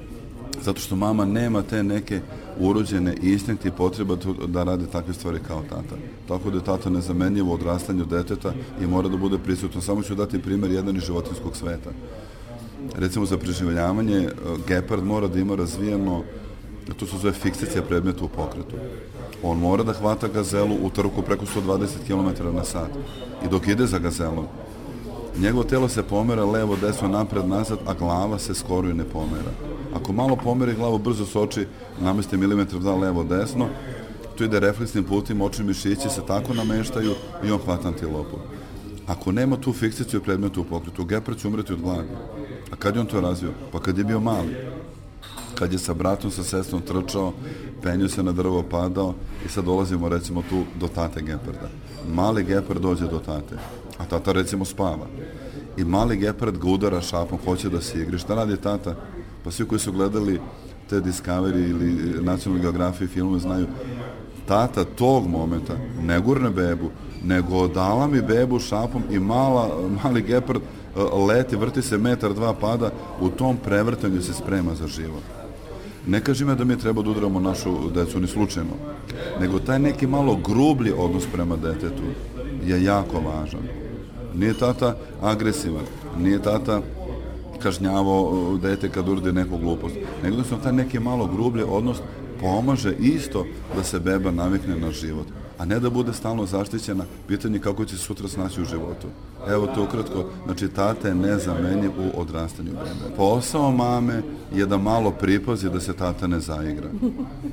Zato što mama nema te neke urođene instinkte i potreba da radi takve stvari kao tata. Tako da je tata nezamenljivo u odrastanju deteta i mora da bude prisutno. Samo ću dati primjer jedan iz životinjskog sveta. Recimo za preživljavanje, gepard mora da ima razvijeno, to se zove fiksacija predmeta u pokretu. On mora da hvata gazelu u trku preko sto dvadeset kilometara na sat. I dok ide za gazelom, njegovo telo se pomera levo, desno, napred, nazad, a glava se skoro i ne pomera. Ako malo pomeri glavu, brzo se oči nameste milimetar dva levo, desno, tu ide refleksnim putima, očni mišići se tako nameštaju i on hvata antilopu. Ako nema tu fiksaciju predmeta u pokretu, gepard će umreti od gladi. A kad je on to razvio? Pa kad je bio mali. Kad je sa bratom, sa sestrom trčao, penio se na drvo, padao i sad dolazimo recimo tu do tate geparda. Mali gepard dođe do tate, a tata recimo spava. I mali gepard ga udara šapom, hoće da se igri. Šta radi tata? Pa svi koji su gledali te Discovery ili National Geographic filmove znaju, tata tog momenta ne gurne bebu, nego dala mi bebu šapom i mala, mali gepard leti, vrti se metar, dva pada, u tom prevrtanju se sprema za život. Ne kažem ja da mi treba da udaramo našu decu ni slučajno, nego taj neki malo grublji odnos prema detetu je jako važan. Nije tata agresivan, nije tata kažnjavao dete kad uradi neku glupost, nego da sam taj neki malo grublji odnos pomaže isto da se beba navikne na život, a ne da bude stalno zaštićena, pitanje kako će sutra snaći u životu. Evo to ukratko, znači tata je nezamenjiv u odrastanju bebe. Posao mame je da malo pripazi da se tata ne zaigra.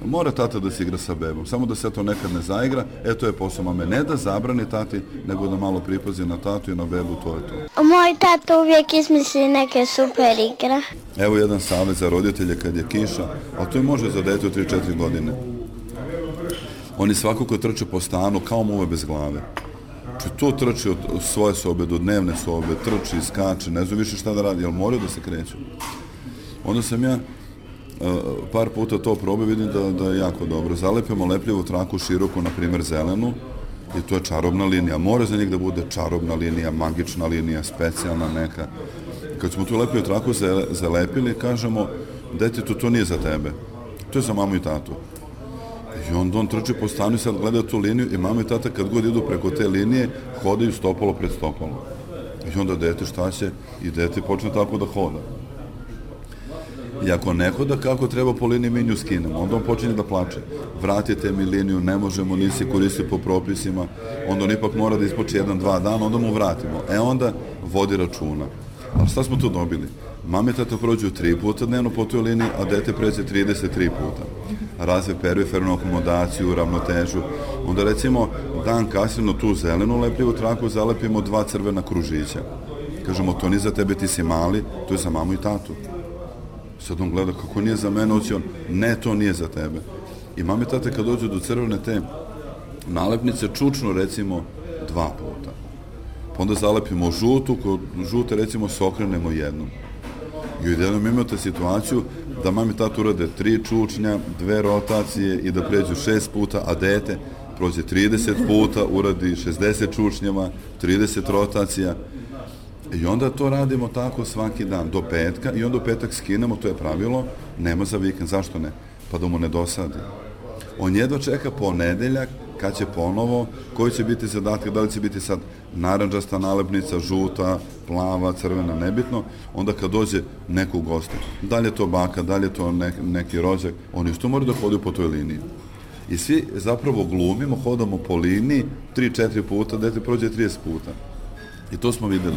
Mora tata da se igra sa bebom, samo da se to nekad ne zaigra, e to je posao mame. Ne da zabrani tati, nego da malo pripazi na tatu i na bebu, to je to. Moj tata uvijek izmisli neke super igre. Evo jedan savjet za roditelje kad je kiša, a to i može za dete od tri četiri godine. Oni svakako trče po stanu kao muve bez glave. Znači to trči od svoje sobe do dnevne sobe, trči, skače, ne znam više šta da radi, jer moraju da se kreću. Onda sam ja uh, par puta to probao, vidim da, da je jako dobro. Zalepimo lepljivu traku široku, na primjer zelenu, i to je čarobna linija. Mora za njih da bude čarobna linija, magična linija, specijalna neka. Kad smo tu lepljivu traku zalepili, kažemo, detetu, to nije za tebe, to je za mamu i tatu. I onda on trči po stanu i sad gleda tu liniju i mama i tata kad god idu preko te linije, hodaju stopalo pred stopalo. I onda dete šta će? I dete počne tako da hoda. I ako ne hoda kako treba po liniji, mi nju skinemo. Onda on počinje da plače. Vratite mi liniju, ne možemo, nisi koristi po propisima. Onda on ipak mora da ispoči jedan, dva dana, onda mu vratimo. E onda vodi računa. Ali šta smo tu dobili? Mame i tata prođu tri puta dnevno po toj liniji, a dete pređe trideset tri puta. Razve perifernu akomodaciju, ravnotežu. Onda recimo dan kasnije na tu zelenu lepljivu traku zalepimo dva crvena kružića. Kažemo, to nije za tebe, ti si mali, to je za mamu i tatu. Sad on gleda kako nije za mene, oci on, ne, to nije za tebe. I mame i tate kad dođu do crvene te nalepnice, čučno recimo dva puta. Pa onda zalepimo žutu, kod žute recimo se okrenemo jednom. I jednom imate situaciju da mami i tata urade tri čučnja, dve rotacije i da pređu šest puta, a dete prođe trideset puta, uradi šezdeset čučnjava, trideset rotacija. I onda to radimo tako svaki dan, do petka, i onda u petak skinemo, to je pravilo, nema za vikend, zašto ne? Pa da mu ne dosadi. On jedva čeka ponedeljak, kad će ponovo, koji će biti zadatak, da li će biti sad narandžasta nalepnica, žuta, plava, crvena, nebitno, onda kad dođe neko u goste, da li je to baka, da li je to nek, neki rođak, oni isto moraju da hodaju po toj liniji. I svi zapravo glumimo, hodamo po liniji, tri četiri puta, dete prođe trideset puta. I to smo videli.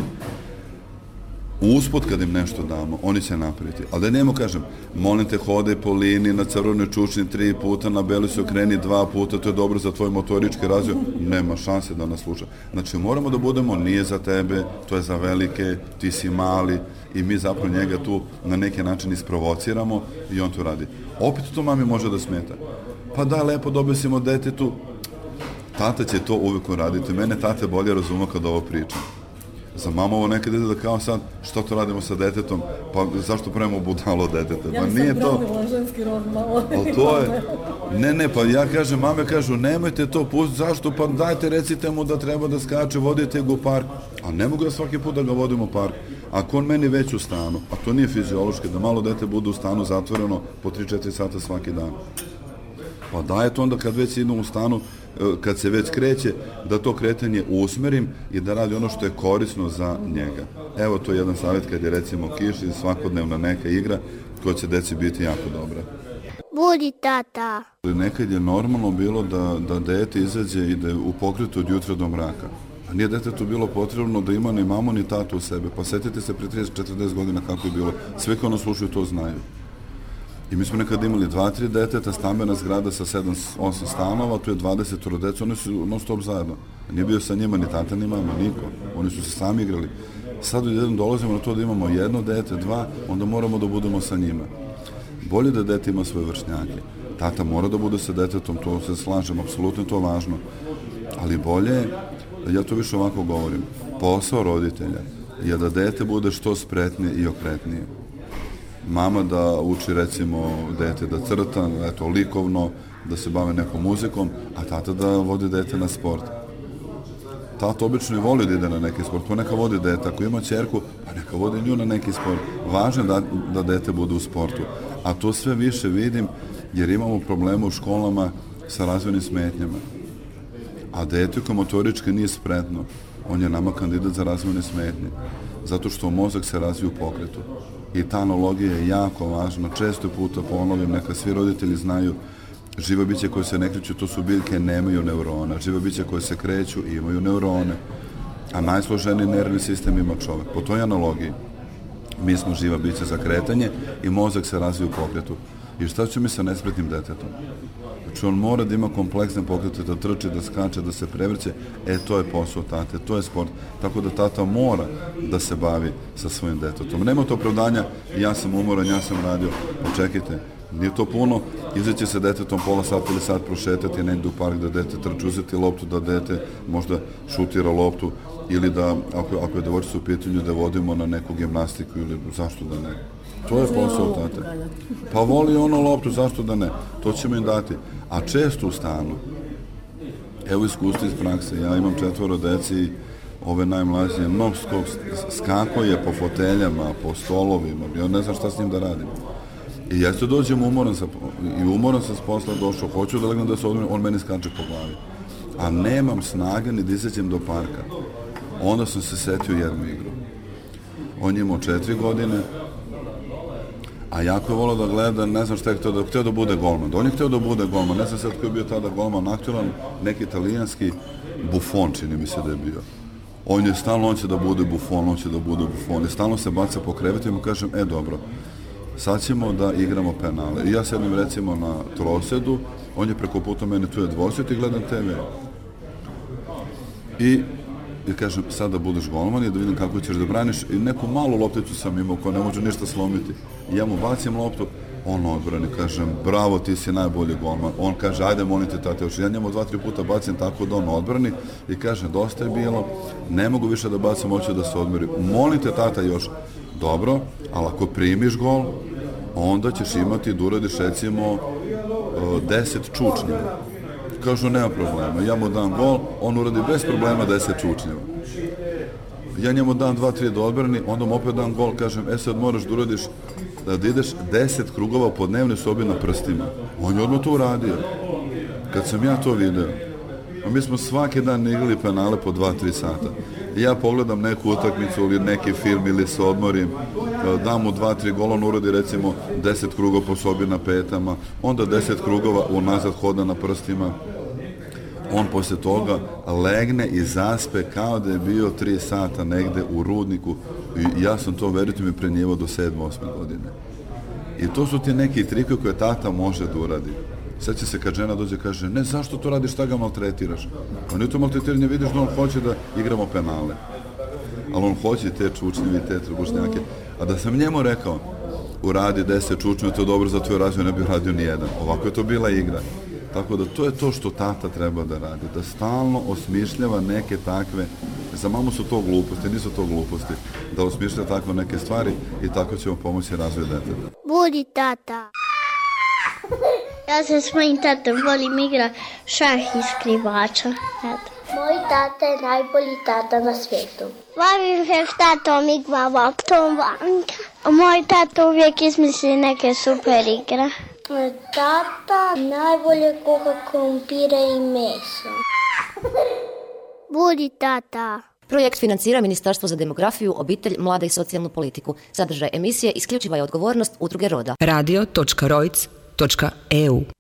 Usput kad im nešto damo, oni će napraviti. Ali da njemu kažem, molim te, hodaj po liniji, na crvenoj čučni tri puta, na beli se okreni dva puta, to je dobro za tvoj motorički razvoj, nema šanse da nas sluša. Znači moramo da budemo, nije za tebe, to je za velike, ti si mali, i mi zapravo njega tu na neki način isprovociramo i on to radi. Opet to mami može da smeta. Pa da, lepo dobesimo detetu, tata će to uvijek uraditi. Mene tata bolje razuma kad ovo pričam. Za mamu ovo nekad ide da kao sad, što to radimo sa detetom, pa zašto pravimo budalo deteta? Pa nije to... Ja sam ženski rod malo. Ali to je... Ne, ne, pa ja kažem, mame kažu, nemojte to pustiti, zašto? Pa dajte, recite mu da treba da skače, vodite ga u park. A ne mogu da svaki put da ga vodimo u park. Ako on meni već u stanu, a to nije fiziološki, da malo dete bude u stanu zatvoreno po tri četiri sata svaki dan. Pa dajte onda kad već idem u stanu, kad se već kreće, da to kretanje usmerim i da radi ono što je korisno za njega. Evo, to je jedan savjet kad je recimo kiš i svakodnevna neka igra koja će deci biti jako dobra. Budi tata. Nekad je normalno bilo da, da dete izađe i da u pokretu od jutra do mraka. A nije detetu bilo potrebno da ima ni mamu ni tatu u sebe. Pa setite se pre trideset do četrdeset godina kako je bilo. Sve koji nas slušaju to znaju. I mi smo nekad imali dva, tri deteta, stambena zgrada sa sedam, osam stanova, tu je dvadeset deca, oni su non stop zajedno. Nije bio sa njima ni tata, ni mama, niko. Oni su se sami igrali. Sad jedan dolazimo na to da imamo jedno dete, dva, onda moramo da budemo sa njima. Bolje da dete ima svoje vršnjake. Tata mora da bude sa detetom, to se slažem, apsolutno je to važno. Ali bolje, ja to više ovako govorim, posao roditelja je da dete bude što spretnije i okretnije. Mama da uči recimo dete da crta, eto, likovno, da se bave nekom muzikom, a tata da vodi dete na sport. Tata obično i voli da ide na neki sport, pa neka vodi dete. Ako ima ćerku, pa neka vodi nju na neki sport. Važno je da, da dete bude u sportu. A to sve više vidim jer imamo probleme u školama sa razvojnim smetnjama. A dete koje motorički nije spretno, on je nama kandidat za razvojne smetnje. Zato što mozak se razvije u pokretu. I ta analogija je jako važna. Često puta ponovim, neka svi roditelji znaju, živa bića koje se ne kreću, to su biljke, nemaju neurona. Živa bića koje se kreću, imaju neurone. A najsloženiji nervni sistem ima čovek. Po toj analogiji mi smo živa bića za kretanje i mozak se razvije u pokretu. I šta ću mi sa nespretnim detetom? Znači on mora da ima kompleksne pokrete, da trči, da skače, da se prevrće. E, to je posao tate, to je sport. Tako da tata mora da se bavi sa svojim detetom. Nema to opravdanja, ja sam umoran, ja sam radio. Očekajte, nije to puno, izaći se detetom pola sata ili sat prošetati negdje u park da dete trči, uzeti loptu, da dete možda šutira loptu ili da, ako, ako je devojčica u pitanju, da vodimo na neku gimnastiku ili zašto da ne. To je posao tate. Pa voli ono loptu, zašto da ne? To ćemo im dati. A često u stanu, evo iskustvo iz prakse, ja imam četvoro deci i ove najmlađe, non stop skako je po foteljama, po stolovima, ja ne znam šta s njim da radim. I ja se dođem umoran sa, i umoran sam s posla došao, hoću da legnem da se odmah, on meni skače po glavi. A nemam snage ni da izađem do parka. Onda sam se setio jednu igru. On je imao četiri godine, a jako je volao da gleda, ne znam šta je htio da, htio da bude golman. On je htio da bude golman, ne znam sad koji je bio tada golman, aktualan, neki italijanski Buffon, čini mi se da je bio. On je stalno, on će da bude Buffon, on će da bude Buffon. I stalno se baca po krevetu i mu kažem, e dobro, sad ćemo da igramo penale. I ja sedim recimo na trosedu, on je preko puta mene, tu je dvosed i gledam te ve. I I kažem, sad da budeš golman i da vidim kako ćeš da braniš. I neku malu lopticu sam imao koja ne može ništa slomiti. I ja mu bacim loptu, on odbrani, kažem, bravo, ti si najbolji golman. On kaže, ajde, molim te, tate, još. Ja njemu dva, tri puta bacim tako da on odbrani i kaže, dosta je bilo, ne mogu više da bacim, hoću da se odmeri. Molim te, tata, još. Dobro, ali ako primiš gol, onda ćeš imati da uradiš, recimo, deset čučnjeva. Kažu, nema problema, ja mu dam gol, on uradi bez problema deset čučnjeva. Ja njemu dam dva, tri da odbrani, onda mu opet dam gol, kažem, e sad moraš da uradiš, da ideš deset krugova po dnevnoj sobi na prstima. On je odmah to uradio. Kad sam ja to video, a mi smo svaki dan igrali penale po dva, tri sata. I ja pogledam neku utakmicu ili neki film ili se odmorim, dam mu dva, tri gola, on uradi recimo deset krugova po sobi na petama, onda deset krugova unazad hoda na prstima. On posle toga legne i zaspe kao da je bio tri sata negde u rudniku i ja sam to, verujte mi, prenijevao do sedme, osme godine. I to su ti neki trikovi koje tata može da uradi. Sad će se kad žena dođe kaže, ne, zašto to radiš, šta ga maltretiraš? Pa nije to maltretiranje, vidiš da on hoće da igramo penale. Ali on hoće te čučnjeve i te trbušnjake. A da sam njemu rekao, uradi deset čučnjeva, to je dobro za tvoj razvoj, ne bih radio ni jedan. Ovako je to bila igra. Tako da to je to što tata treba da radi, da stalno osmišljava neke takve, za mamu su to gluposti, nisu to gluposti, da osmišlja tako neke stvari i tako ćemo pomoći razvoj deteta. Budi tata. Ja se s mojim tatom volim igra šah i skrivača. Eto. Moj tata je najbolji tata na svijetu. Volim se s tatom igra loptom vanka. Moj tata uvijek izmisli neke super igre. Tata najbolje kuha krumpire i meso. Budi tata. Projekt financira Ministarstvo za demografiju, obitelj, mlade i socijalnu politiku. Sadržaj emisije isključiva je odgovornost Udruge Roda. radio točka rojc točka e u